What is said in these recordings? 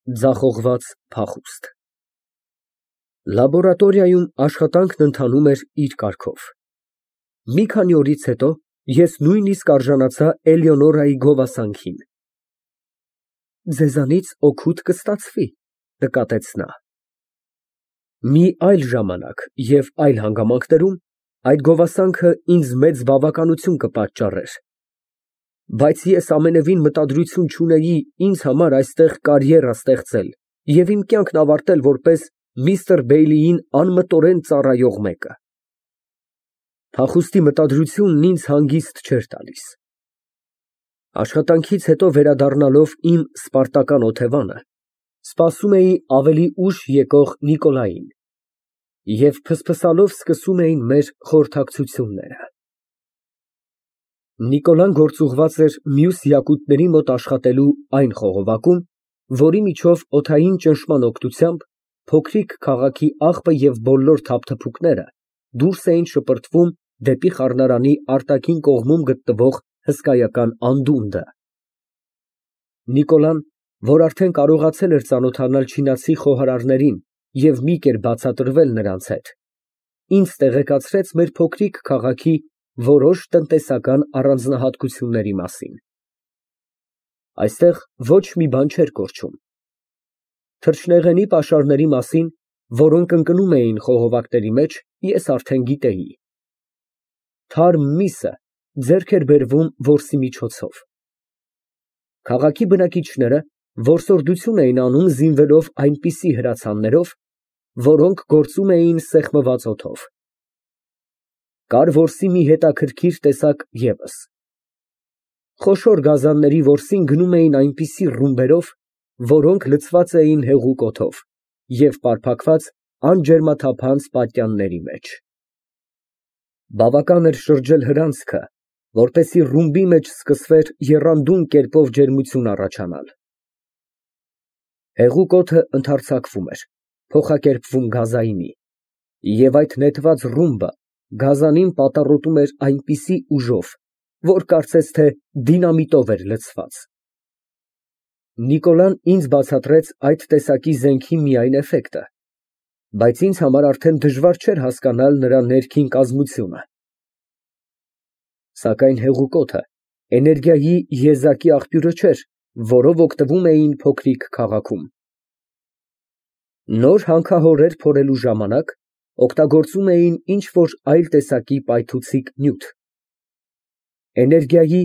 Ձախողված փախուստ Լաբորատորիայում աշխատանքն ընթանում էր իր կարգով։ Մի քանի օրից հետո ես նույնիսկ արժանացա Էլեոնորայի գովասանքին։ «Ձեզանից օգուտ կստացվի», նկատեց նա։ Մի այլ ժամանակ և այլ հանգամանքներում այդ գովասանքը ինձ մեծ բավականություն կպատճառեր, բայց ես ամենևին մտադրություն չունեի ինձ համար այստեղ կարիերա ստեղծել և իմ կյանքն ավարտել որպես միստր Բեյլիին անմտորեն ծառայող մեկը։ Փախուստի մտադրությունն ինձ հանգիստ չէր տալիս։ Աշխատանքից հետո վերադառնալով իմ սպարտական օթևանը, սպասում էի ավելի ուշ եկող Նիկոլային և ֆսֆսալով սկսում էին մեր խորհրդակցությունները։ Նիկոլան գործուղված էր մյուս յակուտների մոտ աշխատելու այն խողովակում, որի միջով օդային ճնշման օգնությամբ փոքրիկ քաղաքի աղբը և բոլոր թափթփուկները դուրս էին շպրտվում դեպի խառնարանի արտաքին կողմում գտնվող հսկայական անդունդը։ Նիկոլան, որ արդեն կարողացել էր ծանոթանալ չինացի խոհարարներին և մի կերպ բացատրվել նրանց հետ, ինձ տեղեկացրեց մեր փոքրիկ քաղաքի որոշ տնտեսական առանձնահատկությունների մասին։ Այստեղ ոչ մի բան չէր կորչում։ Թռչնեղենի պաշարների մասին, որոնք ընկնում էին խողովակների մեջ, ես արդեն գիտեի։ Թարմ միսը ձեռք էր բերվում որսի միջոցով։ Քաղաքի բնակիչները որսորդություն էին անում զինվելով այնպիսի հրացաններով, որոնք գործում էին սեղմված օդով։ Կար որսի մի հետաքրքիր տեսակ ևս։ Խոշոր գազանների որսին գնում էին այնպիսի ռումբերով, որոնք լցված էին հեղուկ օդով և պարփակված անջերմաթափանց պատյանների մեջ։ Բավական էր շրջել հրանցքը, որպեսզի ռումբի մեջ սկսվեր եռանդուն կերպով ջերմություն առաջանալ։ Հեղուկ օդը ընդարձակվում էր, փոխակերպվում գազայինի, և այդ նետված ռումբը գազանին պատառոտում էր այնպիսի ուժով, որ կարծես թե դինամիտով էր լցված։ Նիկոլան ինձ բացատրեց այդ տեսակի զենքի միայն էֆեկտը, բայց ինձ համար արդեն դժվար չէր հասկանալ նրա ներքին կազմությունը։ Սակայն հեղուկ օդը էներգիայի եզակի աղբյուրը չէր, որով օգտվում էին փոքրիկ քաղաքում։ Նոր հանքահորեր փորելու ժամանակ օգտագործում էին ինչ֊որ այլ տեսակի պայթուցիկ նյութ։ Էներգիայի,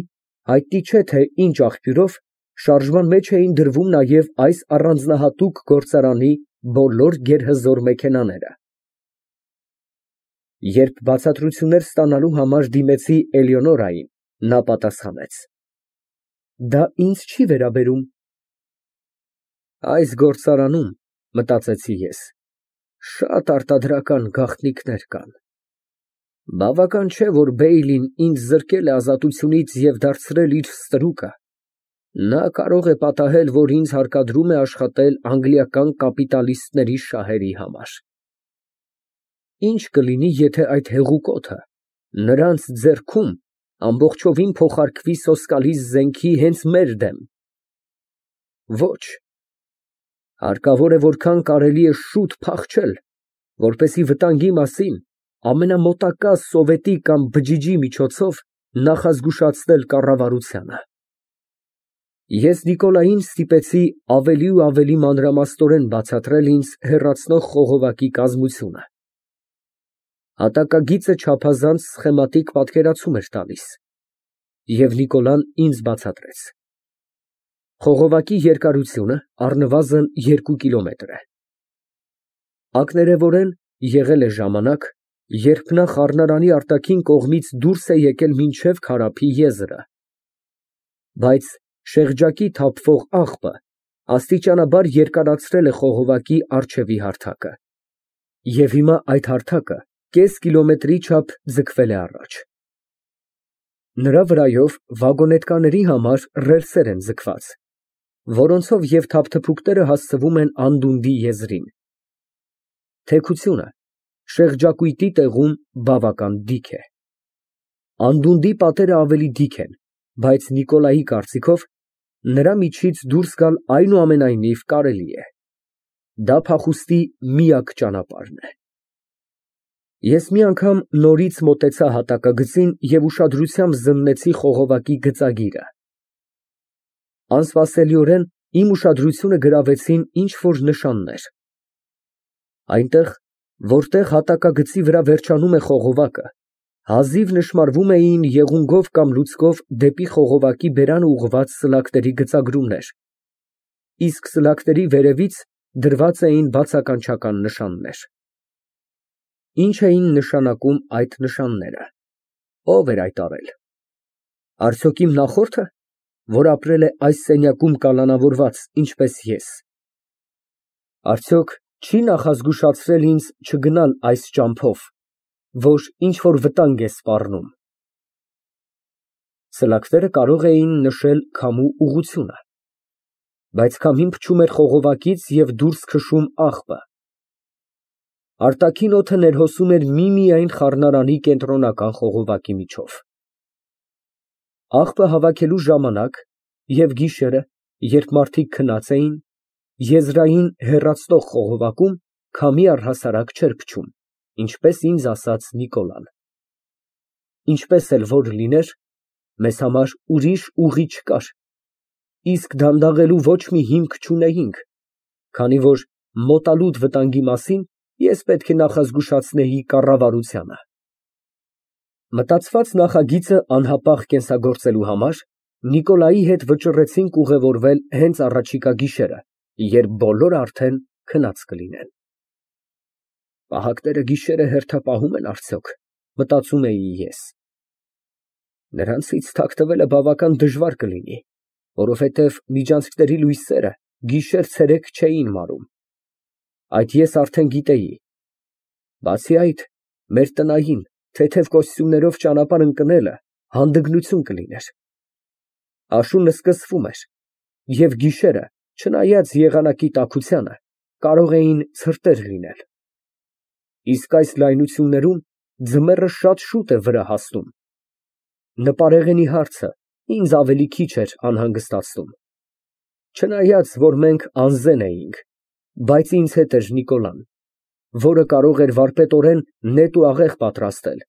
հայտնի չէ թե ինչ աղբյուրով, շարժման մեջ էին դրվում նաև այս առանձնահատուկ գործարանի բոլոր գերհզոր մեքենաները։ Երբ բացատրություններ ստանալու համար դիմեցի Էլեոնորային, նա պատասխանեց. «Դա ինձ չի վերաբերում»։ Այս գործարանում, մտածեցի ես, շատ արտադրական գաղտնիքներ կան։ Բավական չէ, որ Բեյլին ինձ զրկել է ազատությունից և դարձրել իր ստրուկը, նա կարող է պատահել, որ ինձ հարկադրում է աշխատել անգլիական կապիտալիստների շահերի համար։ Ի՞նչ կլինի, եթե այդ հեղուկ օդը նրանց ձեռքում ամբողջովին փոխարկվի սոսկալի զենքի հենց մեր դեմ։ Ոչ, հարկավոր է որքան կարելի է շուտ փախչել, որպեսզի վտանգի մասին ամենամոտակա սովետի կամ բջիջի միջոցով նախազգուշացնել կառավարությանը։ Ես Նիկոլային ստիպեցի ավելի ու ավելի մանրամասնորեն բացատրել ինձ հեռացնող խողովակի կազմությունը։ Հատակագիծը չափազանց սխեմատիկ պատկերացում էր տալիս, և Նիկոլան ինձ բացատրեց. խողովակի երկարությունը առնվազն 2 կիլոմետր է։ Ակներևորեն եղել է ժամանակ, երբ նա խառնարանի արտաքին կողմից դուրս է եկել մինչև քարափի եզրը, բայց շեղջակի թափվող աղբը աստիճանաբար երկարացրել է խողովակի առջևի հարթակը, և հիմա այդ հարթակը կես կիլոմետրի չափ ձգվել է առաջ։ Նրա վրայով վագոնետկաների համար ռելսեր են ձգված, որոնցով և թափթփուկները հասցվում են անդունդի եզրին։ Թեքությունը շեղջակույտի տեղում բավական դիք է։ Անդունդի պատերը ավելի դիք են, բայց Նիկոլայի կարծիքով նրա միջից դուրս գալ այնուամենայնիվ կարելի է։ Դա փախուստի միակ ճանապարհն է։ Ես մի անգամ նորից մոտեցա հատակագծին և ուշադրությամբ զննեցի խողովակի գծագիրը։ Անսպասելիորեն իմ ուշադրությունը գրավեցին ինչ֊որ նշաններ։ Այնտեղ, որտեղ հատակագծի վրա վերջանում է խողովակը, հազիվ նշմարվում էին եղունգով կամ լուցկով դեպի խողովակի բերանը ուղղված սլաքների գծագրումներ, իսկ սլաքների վերևից դրված էին բացականչական նշաններ։ Ինչ էին նշանակում այդ նշանները։ Ո՞վ էր այդ արել։ Արդյոք իմ նախորդը, որ ապրել է այս սենյակում կալանավորված, ինչպես ես։ Արդյոք չի նախազգուշացրել ինձ չգնալ այս ճամփով, որ ինչ֊որ վտանգ է սպառնում։ Սլաքները կարող էին նշել քամու ուղղությունը, բայց քամին փչում էր խողովակից և դուրս քշում աղբը։ Արտաքին օդը ներհոսում էր միմիայն խառնարանի կենտրոնական խողովակի միջով։ Աղբը հավաքելու ժամանակ և գիշերը, երբ մարդիկ քնած էին, եզրային հեռացնող խողովակում քամի առհասարակ չէր փչում, ինչպես ինձ ասաց Նիկոլան։ Ինչպես էլ որ լիներ, մեզ համար ուրիշ ուղի չկար, իսկ դանդաղելու ոչ մի հիմք չունեինք, քանի որ մոտալուտ վտանգի մասին ես պետք է նախազգուշացնեի կառավարությանը։ Մտածված նախագիծը անհապաղ կենսագործելու համար Նիկոլայի հետ վճռեցինք ուղևորվել հենց առաջիկա գիշերը, երբ բոլորը արդեն քնած կլինեն։ Պահակները գիշերը հերթապահում են արդյոք, մտածում էի ես։ Նրանցից թաքնվելը բավական դժվար կլինի, որովհետև միջանցքների լույսերը գիշեր֊ցերեկ չէին մարում։ Այդ ես արդեն գիտեի։ Բացի այդ, մեր տնային, թեթև կոստյումներով ճանապարհ ընկնելը հանդգնություն կլիներ։ Աշունը սկսվում էր, և գիշերը, չնայած եղանակի տաքությանը, կարող էին ցրտեր լինել։ Իսկ այս լայնություններում ձմեռը շատ շուտ է վրա հասնում։ Նպարեղենի հարցը ինձ ավելի քիչ էր անհանգստացնում։ Չնայած, որ մենք անզեն էինք, բայց ինձ հետ էր Նիկոլան, որը կարող էր վարպետորեն նետ ու աղեղ պատրաստել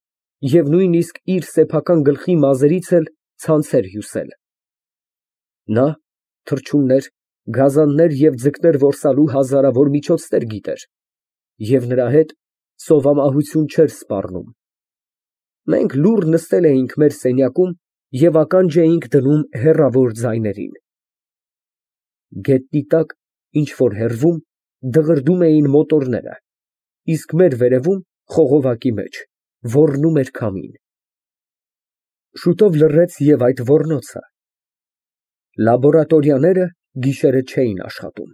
և նույնիսկ իր սեփական գլխի մազերից էլ ցանցեր հյուսել։ Նա թռչուններ, գազաններ և ձկներ որսալու հազարավոր միջոցներ գիտեր, և նրա հետ սովամահություն չէր սպառնում։ Մենք լուռ նստել էինք մեր սենյակում և ականջ էինք դնում հեռավոր ձայներին։ Գետնի տակ, ինչ֊որ հեռվում, դղրդում էին մոտորները, իսկ մեր վերևում, խողովակի մեջ, ոռնում էր քամին։ Շուտով լռեց և այդ ոռնոցը։ Լաբորատորիաները գիշերը չէին աշխատում։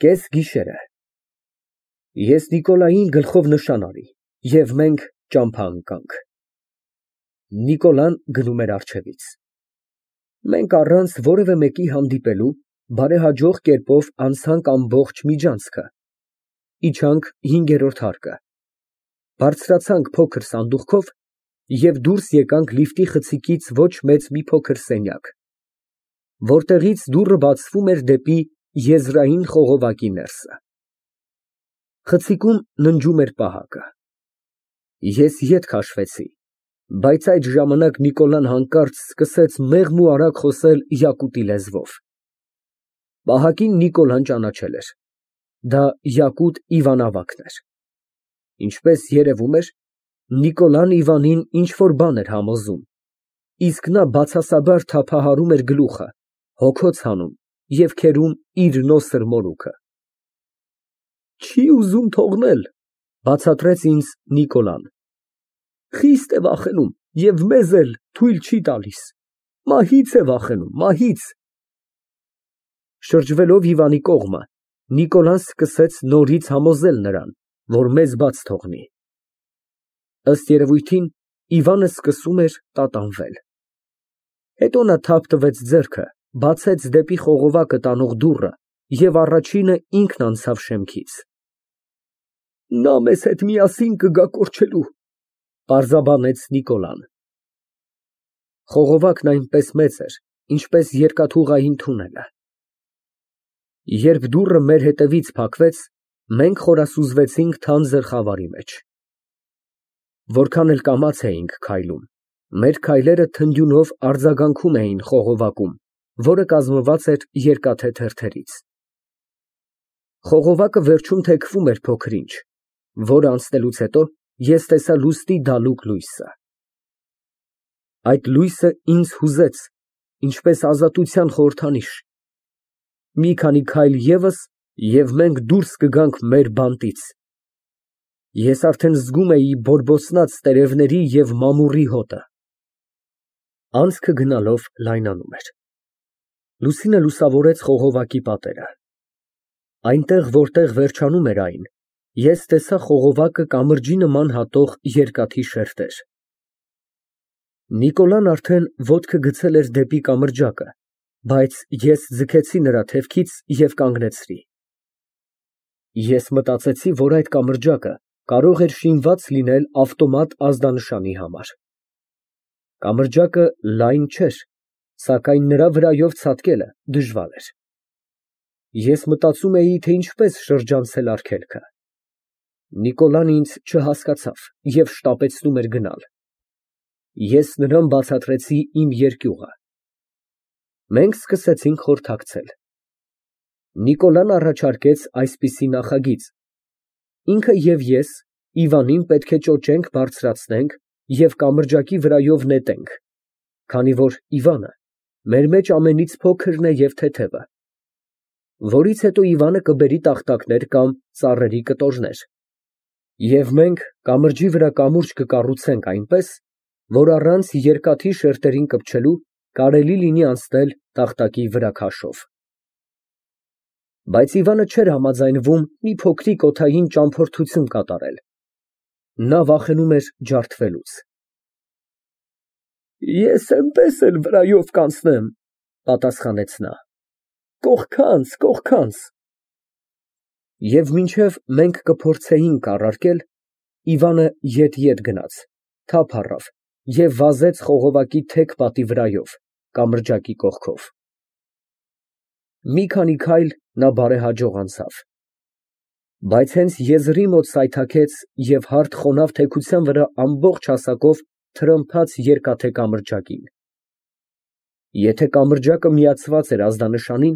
Կեսգիշեր է։ Ես Նիկոլային գլխով նշան արի, և մենք ճամփա ընկանք։ Նիկոլան գնում էր առջևից։ Մենք առանց որևէ մեկի հանդիպելու բարեհաջող կերպով անցանք ամբողջ միջանցքը, իջանք հինգերորդ հարկը, բարձրացանք փոքր սանդուղքով և դուրս եկանք լիֆտի խցիկից ոչ մեծ մի փոքր սենյակ, որտեղից դուռը բացվում էր դեպի եզրային խողովակի ներսը։ Խցիկում ննջում էր պահակը։ Ես ետ քաշվեցի, բայց այդ ժամանակ Նիկոլան հանկարծ սկսեց մեղմ ու արագ խոսել յակուտի լեզվով։ Պահակին Նիկոլան ճանաչել էր։ Դա Յակուտ Իվանավակն էր։ Ինչպես երևում էր, Նիկոլան Իվանին ինչ֊որ բան էր համոզում, իսկ նա բացասաբար թափահարում էր գլուխը, հոգոց հանում և քերում իր նոսր մորուքը։ Չի ուզում թողնել, բացատրեց ինձ Նիկոլան։ Խիստ է վախենում և մեզ էլ թույլ չի տալիս։ Մահից է վախենում, մահից։ Շրջվելով Իվանի կողմը, Նիկոլան սկսեց նորից համոզել նրան, որ մեզ բաց թողնի։ Ըստ երևույթին, Իվանը սկսում էր տատանվել։ Հետո նա թափ տվեց ձեռքը, բացեց դեպի խողովակը տանող դուռը և առաջինը ինքն անցավ շեմքից։ Նա մեզ հետ միասին կգա կորչելու, պարզաբանեց Նիկոլան։ Խողովակն այնպես մեծ էր, ինչպես երկաթուղային թունելը։ Երբ դուռը մեր հետևից փակվեց, մենք խորասուզվեցինք թանձր խավարի մեջ։ Որքան էլ կամաց էինք քայլում, մեր քայլերը թնդյունով արձագանքում էին խողովակում, որը կազմված էր երկաթե թերթերից։ Խողովակը վերջում թեքվում էր փոքր-ինչ, որը անցնելուց հետո ես տեսա լուսնի դալուկ լույսը։ Այդ լույսը ինձ հուզեց, ինչպես ազատության խորհրդանիշ։ Մի քանի քայլ ևս, և մենք դուրս կգանք մեր բանտից։ Ես արդեն զգում էի բորբոցնած տերևների և մամուռի հոտը։ Անցքը գնալով լայնանում էր։ Լուսինը լուսավորեց խողովակի պատերը։ Այնտեղ, որտեղ վերջանում էր այն, ես տեսա խողովակը կամրջի նման հատող երկաթի շերտեր։ Նիկոլան արդեն ոտքը գցել էր դեպի կամրջակը, բայց ես ձգեցի նրա թևքից և կանգնեցրի։ Ես մտածեցի, որ այդ կամրջակը կարող էր շինված լինել ավտոմատ ազդանշանի համար։ Կամրջակը լայն չէր, սակայն նրա վրայով ցատկելը դժվար էր։ Ես մտածում էի, թե ինչպես շրջանցել արգելքը։ Նիկոլան ինձ չհասկացավ և շտապեցնում էր գնալ։ Ես նրան բացատրեցի իմ երկյուղը։ Մենք սկսեցինք խորհրդակցել։ Նիկոլան առաջարկեց այսպիսի նախագիծ. ինքը և ես Իվանին պետք է ճոճենք բարձրացնենք և կամրջակի վրայով նետենք, քանի որ Իվանը մեր մեջ ամենից փոքրն է և թեթևը, որից հետո Իվանը կբերի տախտակներ կամ ծառերի կտորներ, և մենք կամրջի վրա կամուրջ կկառուցենք այնպես, որ առանց երկաթի շերտերին կպչելու կարելի լինի անցնել տախտակի վրա քաշով։ Բայց Իվանը չէր համաձայնվում մի փոքրիկ օդային ճամփորդություն կատարել։ Նա վախենում էր ջարդվելուց։ Ես էնպես էլ վրայով կանցնեմ, պատասխանեց նա, կողքանց, կողքանց։ Եվ մինչև մենք կփորձեինք առարկել, Իվանը ետ գնաց, թափ առավ և վազեց խողովակի թեք պատի վրայով, կամրջակի կողքով։ Մի քանի քայլ նա բարեհաջող անցավ։ Բայց հենց եզրի մոտ սայթաքեց և հարթ խոնավ թեքության վրա ամբողջ հասակով թրմփաց երկաթե կամրջակին։ Եթե կամրջակը միացված էր ազդանշանին,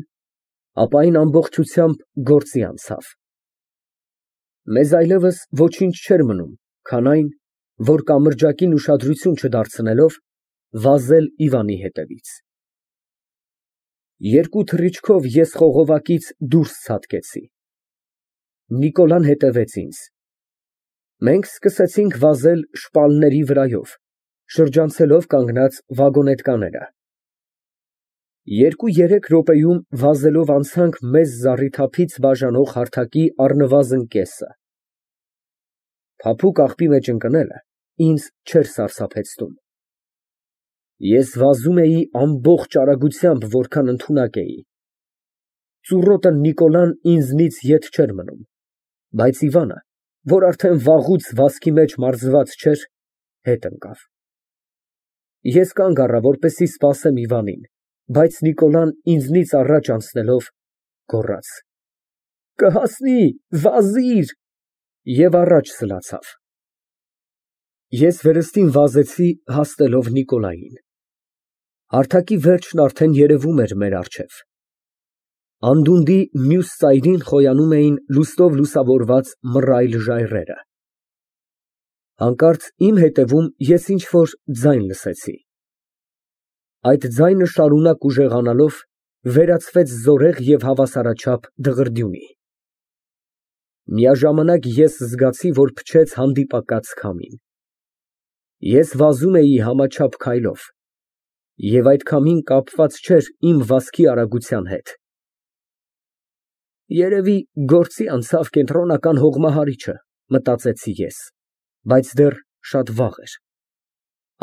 ապա այն ամբողջությամբ գործի անցավ։ Մեզ այլևս ոչինչ չէր մնում, քան այն, որ կամրջակին ուշադրություն չդարձնելով, վազել Իվանի հետևից։ Երկու թռիչքով ես խողովակից դուրս ցատկեցի։ Նիկոլան հետևեց ինձ։ Մենք սկսեցինք վազել շպալների վրայով, շրջանցելով կանգնած վագոնետկաները։ 2-3 րոպեում վազելով անցանք մեզ զառիթափից բաժանող հարթակի առնվազն կեսը։ Փափուկ աղբի մեջ ընկնելը ինձ չէր սարսափեցնում։ Ես վազում էի ամբողջ արագությամբ, որքան ընդունակ էի։ Ծուռոտը Նիկոլան ինձնից ետ չէր մնում, բայց Իվանը, որ արդեն վաղուց վազքի մեջ մարզված չէր, հետ ընկավ։ Ես կանգ առա, որպեսզի սպասեմ Իվանին, բայց Նիկոլան ինձնից առաջ անցնելով, գոռաց. Կհասնի, վազիր, և առաջ սլացավ։ Ես վերստին վազեցի, հասնելով Նիկոլային։ Հարթակի վերջն արդեն երևում էր մեր առջև։ Անդունդի մյուս ծայրին խոյանում էին լուսնով լուսավորված մռայլ ժայռերը։ Հանկարծ իմ հետևում ես ինչ֊որ ձայն լսեցի։ Այդ ձայնը շարունակ ուժեղանալով, վերածվեց զորեղ և հավասարաչափ դղրդյունի։ Միաժամանակ ես զգացի, որ փչեց հանդիպակաց քամին։ Ես վազում էի համաչափ քայլով, և այդ քամին կապված չէր իմ վազքի արագության հետ։ Երևի գործի անցավ կենտրոնական հողմահարիչը, մտածեցի ես, բայց դեռ շատ վաղ էր։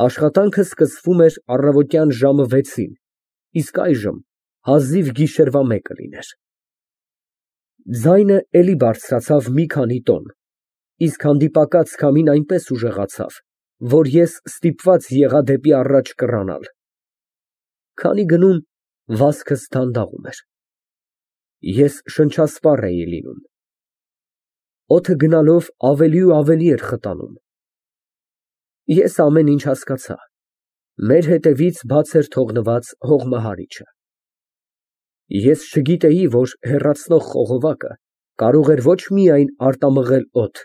Աշխատանքը սկսվում էր առավոտյան ժամը 6-ին, իսկ այժմ հազիվ գիշերվա 1-ը լիներ։ Ձայնը էլի բարձրացավ մի քանի տոն, իսկ հանդիպակաց քամին այնպես ուժեղացավ, որ ես ստիպված եղա դեպի առաջ կռանալ։ Քանի գնում, վազքս դանդաղում էր։ Ես շնչասպառ էի լինում։ Օդը գնալով ավելի ու ավելի էր խտանում։ Ես ամեն ինչ հասկացա։ Մեր հետևից բաց էր թողնված հողմահարիչը։ Ես չգիտեի, որ հեռացնող խողովակը կարող էր ոչ միայն արտամղել օդ,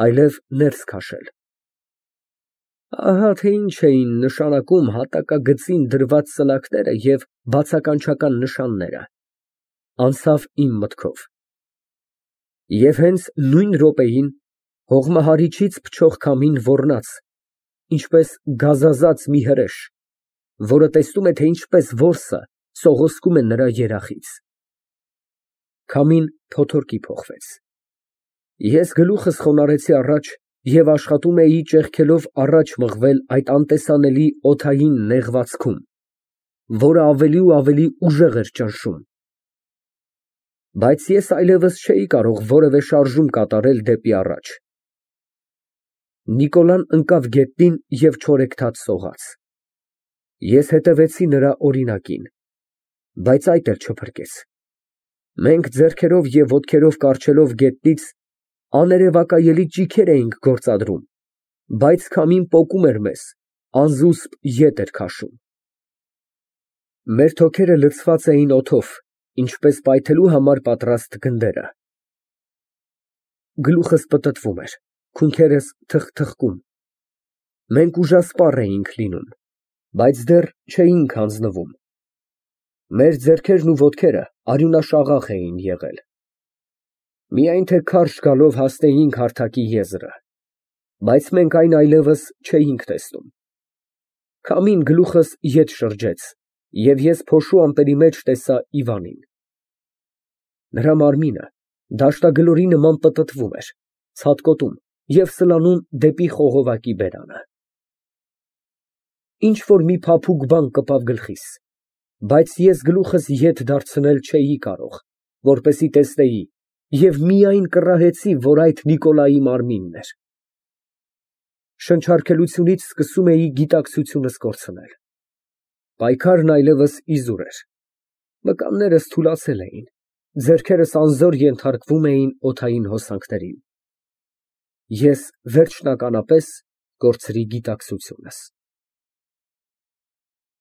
այլև ներս քաշել։ Ահա թե ինչ էին նշանակում հատակագծին դրված ծլակները և բացականչական նշանները, անցավ իմ մտքով։ Եվ հենց նույն րոպեին հողմահարիչից փչող քամին ոռնաց, ինչպես գազազած մի հրեշ, որը տեսնում է, թե ինչպես որսը սողոսկում է նրա երախից։ Քամին փոթորկի փոխվեց։ Ես գլուխս խոնարհեցի առաջ և աշխատում էի ճեղքելով առաջ մղվել այդ անտեսանելի օդային նեղվածքում, որը ավելի ու ավելի ուժեղ էր ճնշում։ Բայց ես այլևս չէի կարող որևէ շարժում կատարել դեպի առաջ։ Նիկոլան ընկավ գետնին և չորեքթաթ սողաց։ Ես հետևեցի նրա օրինակին, բայց այդ էլ չփրկեց։ Մենք ձեռքերով և ոտքերով կառչելով գետնից աներևակայելի ճիգեր էինք գործադրում, բայց քամին պոկում էր մեզ, անզուսպ ետ էր քաշում։ Մեր թոքերը լցված էին օդով, ինչպես պայթելու համար պատրաստ գնդերը։ Գլուխս պտտվում էր, քունքերս թխթխկում։ Մենք ուժասպառ էինք լինում, բայց դեռ չէինք հանձնվում։ Մեր ձեռքերն ու ոտքերը արյունաշաղախ էին եղել։ Միայն թե քարշ գալով հասնեինք հարթակի եզրը, բայց մենք այն այլևս չէինք տեսնում։ Քամին գլուխս ետ շրջեց, և ես փոշու ամպերի մեջ տեսա Իվանին։ Նրա մարմինը դաշտագլորի նման պտտվում էր, ցատկոտում և սլանում դեպի խողովակի բերանը։ Ինչ֊որ մի փափուկ բան կպավ գլխիս, բայց ես գլուխս ետ դարձնել չէի կարող, որպեսզի տեսնեի, և միայն կռահեցի, որ այդ Նիկոլայի մարմինն էր։ Շնչառքելությունից սկսում էի գիտակցությունս կորցնել։ Պայքարն այլևս իզուր էր։ Մկաններս թուլացել էին, ձեռքերս անզոր ենթարկվում էին օդային հոսանքներին։ Ես վերջնականապես կորցրի գիտակցությունս։